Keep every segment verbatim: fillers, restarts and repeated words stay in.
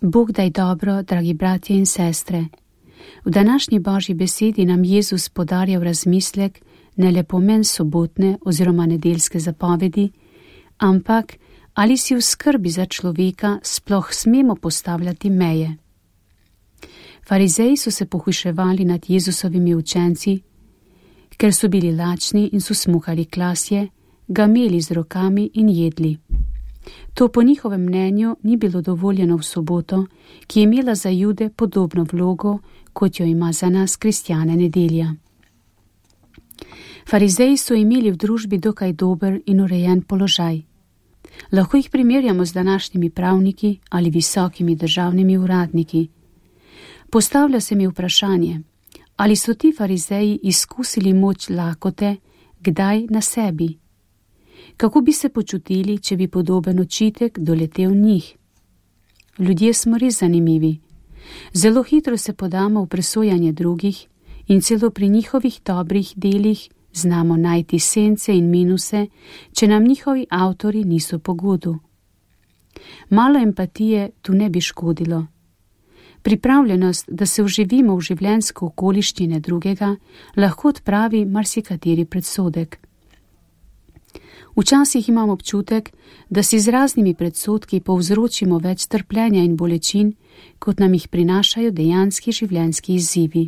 Bog daj dobro, dragi bratje in sestre. V današnji Božji besedi nam Jezus podarja v razmislek ne le pomen sobotne oziroma nedeljske zapovedi, ampak ali si v skrbi za človeka sploh smemo postavljati meje. Farizeji so se pohujševali nad Jezusovimi učenci, ker so bili lačni in so smuhali klasje, ga meli z rokami in jedli. To po njihovem mnenju ni bilo dovoljeno v soboto, ki je imela za Jude podobno vlogo, kot jo ima za nas kristjane nedelja. Farizeji so imeli v družbi dokaj dober in urejen položaj. Lahko jih primerjamo z današnjimi pravniki ali visokimi državnimi uradniki. Postavlja se mi vprašanje, ali so ti farizeji izkusili moč lakote, kdaj na sebi? Kako bi se počutili, če bi podoben očitek doletel njih? Ljudje smo res zanimivi. Zelo hitro se podamo v presojanje drugih in celo pri njihovih dobrih delih znamo najti sence in minuse, če nam njihovi avtori niso po godu. Malo empatije tu ne bi škodilo. Pripravljenost, da se vživimo v življenjsko okoliščine drugega, lahko odpravi marsikateri predsodek. Včasih imam občutek, da si z raznimi predsodki povzročimo več trpljenja in bolečin, kot nam jih prinašajo dejanski življenjski izzivi.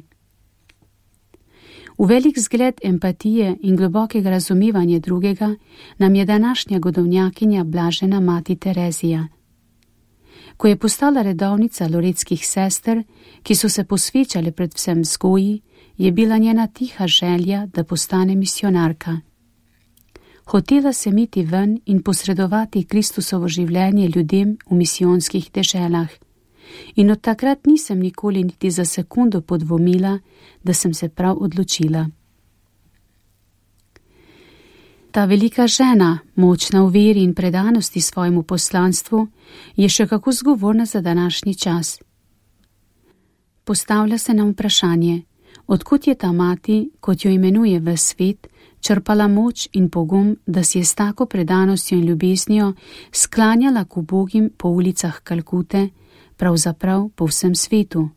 V velik zgled empatije in globokega razumevanja drugega nam je današnja godovnjakinja blažena mati Terezija. Ko je postala redovnica loretskih sester, ki so se posvečale predvsem vzgoji, je bila njena tiha želja, da postane misionarka. Hotela se miti ven in posredovati Kristusovo življenje ljudem v misijonskih deželah. In od takrat nisem nikoli niti za sekundo podvomila, da sem se prav odločila. Ta velika žena, močna v veri in predanosti svojemu poslanstvu, je še kako zgovorna za današnji čas. Postavlja se nam vprašanje, odkot je ta mati, kot jo imenuje ves svet, črpala moč in pogum, da si je s tako predanostjo in ljubeznijo sklanjala k ubogim po ulicah Kalkute, pravzaprav po vsem svetu.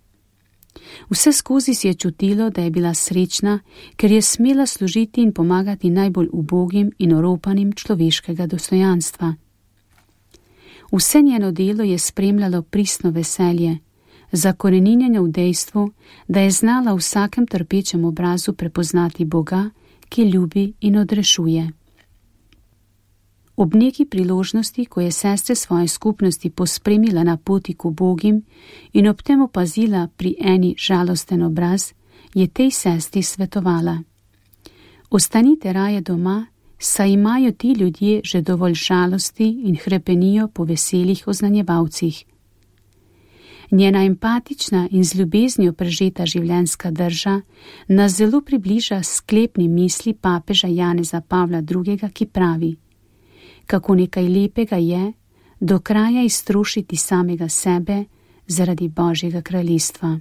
Vse skozi si je čutilo, da je bila srečna, ker je smela služiti in pomagati najbolj ubogim in oropanim človeškega dostojanstva. Vse njeno delo je spremljalo pristno veselje, zakoreninjeno v dejstvu, da je znala v vsakem trpečem obrazu prepoznati Boga, ki ljubi in odrešuje. Ob neki priložnosti, ko je sestre svoje skupnosti pospremila na poti k ubogim in ob tem opazila pri eni žalosten obraz, je tej sestri svetovala: Ostanite raje doma, saj imajo ti ljudje že dovolj žalosti in hrepenijo po veselih oznanjevalcih. Njena empatična in z ljubeznijo prežeta življenjska drža nas zelo približa sklepni misli papeža Janeza Pavla drugega, ki pravi: kako nekaj lepega je do kraja iztrošiti samega sebe zaradi Božjega kraljestva.